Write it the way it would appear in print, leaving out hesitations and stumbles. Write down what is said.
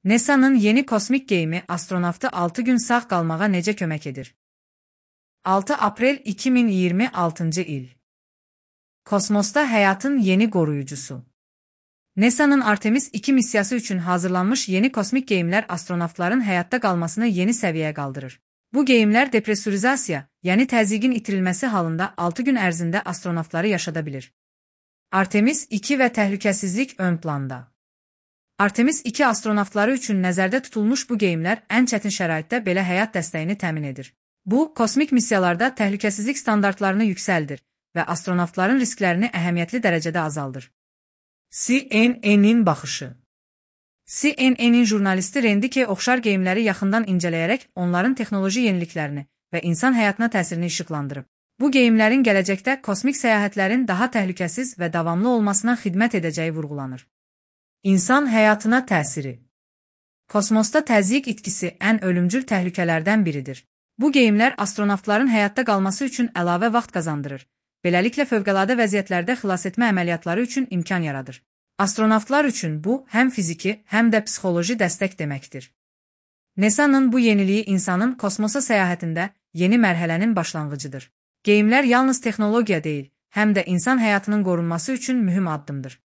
NASA'nın yeni kosmik geyimi astronavtı 6 gün sağ qalmağa necə kömək edir? 6 aprel 2026 il. Kosmosda həyatın yeni qoruyucusu. NASA'nın Artemis 2 missiyası üçün hazırlanmış yeni kosmik geyimlər astronavtların həyatda qalmasını yeni səviyyəyə qaldırır. Bu geyimlər depresurizasiya, yəni təzyiqin itirilməsi halında 6 gün ərzində astronavtları yaşada bilir. Artemis 2 və təhlükəsizlik ön planda. Artemis 2 astronavtları üçün nəzərdə tutulmuş bu geyimlər ən çətin şəraitdə belə həyat dəstəyini təmin edir. Bu, kosmik missiyalarda təhlükəsizlik standartlarını yüksəldir və astronavtların risklərini əhəmiyyətli dərəcədə azaldır. CNN-in baxışı. CNN-in jurnalisti Rendike oxşar geyimləri yaxından incələyərək onların texnoloji yeniliklərini və insan həyatına təsirini işıqlandırıb. Bu geyimlərin gələcəkdə kosmik səyahətlərin daha təhlükəsiz və davamlı olmasına xidmət edəcəyi vurğulanır. İnsan həyatına təsiri. Kosmosda təzyiq itkisi ən ölümcül təhlükələrdən biridir. Bu geyimlər astronavtların həyatda qalması üçün əlavə vaxt qazandırır. Beləliklə fövqəladə vəziyyətlərdə xilasetmə əməliyyatları üçün imkan yaradır. Astronavtlar üçün bu, həm fiziki, həm də psixoloji dəstək deməkdir. NASA'nın bu yeniliyi insanın kosmosa səyahətində yeni mərhələnin başlanğıcıdır. Geyimlər yalnız texnologiya deyil, həm də insan həyatının qorunması üçün mühüm addımdır.